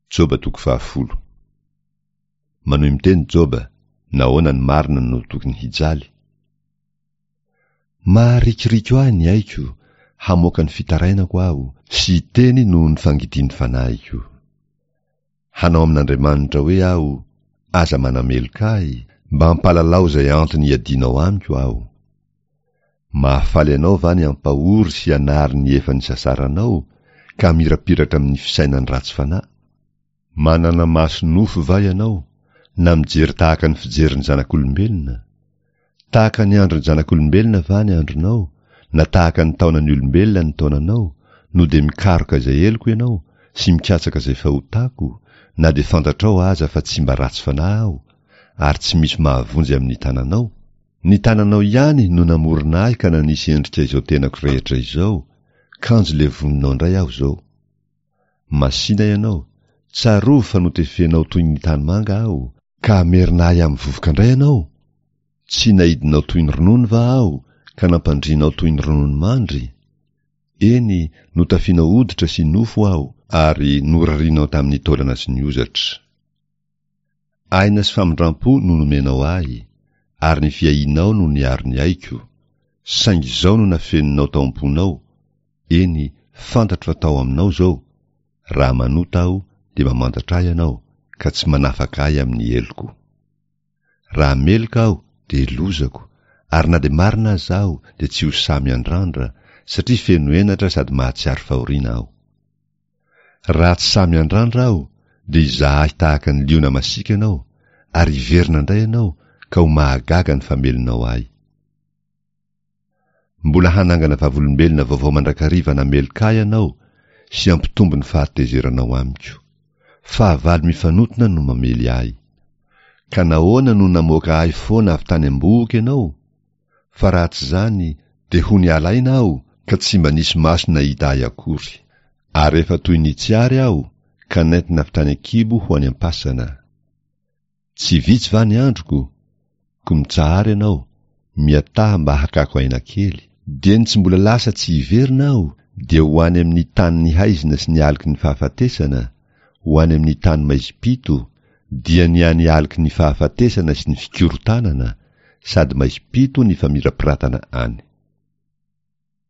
Joba toko fahafolo. Manohy miteny Joba, nahoana ny marina no tokony hijaly? Maharikoriko ahy ny aiko, hamoaka ny fitarainako aho, sy hiteny noho ny fangidian'ny fanahiko. Hanao amin'Andriamanitra hoe aho, Aza manameloka ahy, mba ampalalao izay antony iadianao amiko aho. Mahafaly anao va ny hampahory sy hanary ny efa nisasaranao, ka hamirapiratra amin'ny fisainan'ny ratsy fanahy? Manana maso nofo va ianao, na mijery tahaka ny fijerin'ny zanak'olombelona? Tahaka ny andron'ny zanak'olombelona va ny andronao, na tahaka ny taonan'ny olombelona ny taonanao, no dia mikaroka izay heloko ianao, sy mikatsaka izay fahotako, na dia fantatrao aza fa tsy mba ratsy fanahy aho, ary tsy misy mahavonjy amin'ny tananao? Ny tananao ihany no namorona ahy ka nanisy endrika izao tenako rehetra izao, kanjo levoninao indray aho izao. Masìna ianao, tsarovy fa notefenao toy ny tanimanga aho, ka hamerina ahy amin'ny vovoka indray ianao? Tsy naidinao toy ny ronono va aho, ka nampandrianao toy ny ronono mandry? Eny, notafianao hoditra sy nofo aho, ary norarianao tamin'ny taolana sy ny hozatra. Aina sy famindrampo no nomenao ahy, ary ny fiahianao no niaro ny aiko, saingy izao no nafeninao tao am-ponao, eny, fantatro fa tao aminao izao, raha manota aho dia mamantatra ahy ianao ka tsy manafaka ahy amin'ny heloko. Raha meloka aho dia lozako, ary na dia marina aza aho dia tsy ho sahy miandrandra, satria feno henatra sady mahatsiaro fahoriana aho. Raha tsy sahy miandrandra aho dia hizaha ahy tahaka ny liona masiaka ianao, ary hiverina indray ianao ka ho mahagaga ny famelonao ahy. Mbola hanangana vavolombelona vaovao mandrakariva nameloka ahy ianao sy hampitombo ny fahatezeranao amiko. Fahavalo mifanotona no mamely ahy. Ka nahoana no namoaka ahy foana avy tany am-bohoka ianao? Fa raha tsy izany dia ho niala aina aho ka tsy mba nisy maso nahita ahy akory. Ary efa toy ny tsy ary aho ka nentina avy tany an-kibo ho any am-pasana. Tsy vitsy va ny androko? Koa mitsahara ianao, miataha mba hakako aina kely. Dieny tsy mbola lasa tsy hiverina aho dia ho any amin'ny tanin'ny haizina sy ny aloky ny fahafatesana, ho any amin'ny tany maizim-pito, dia ny any aloky ny fahafatesana sy ny fikorontanana, sady maizim-pito ny famirapiratana any.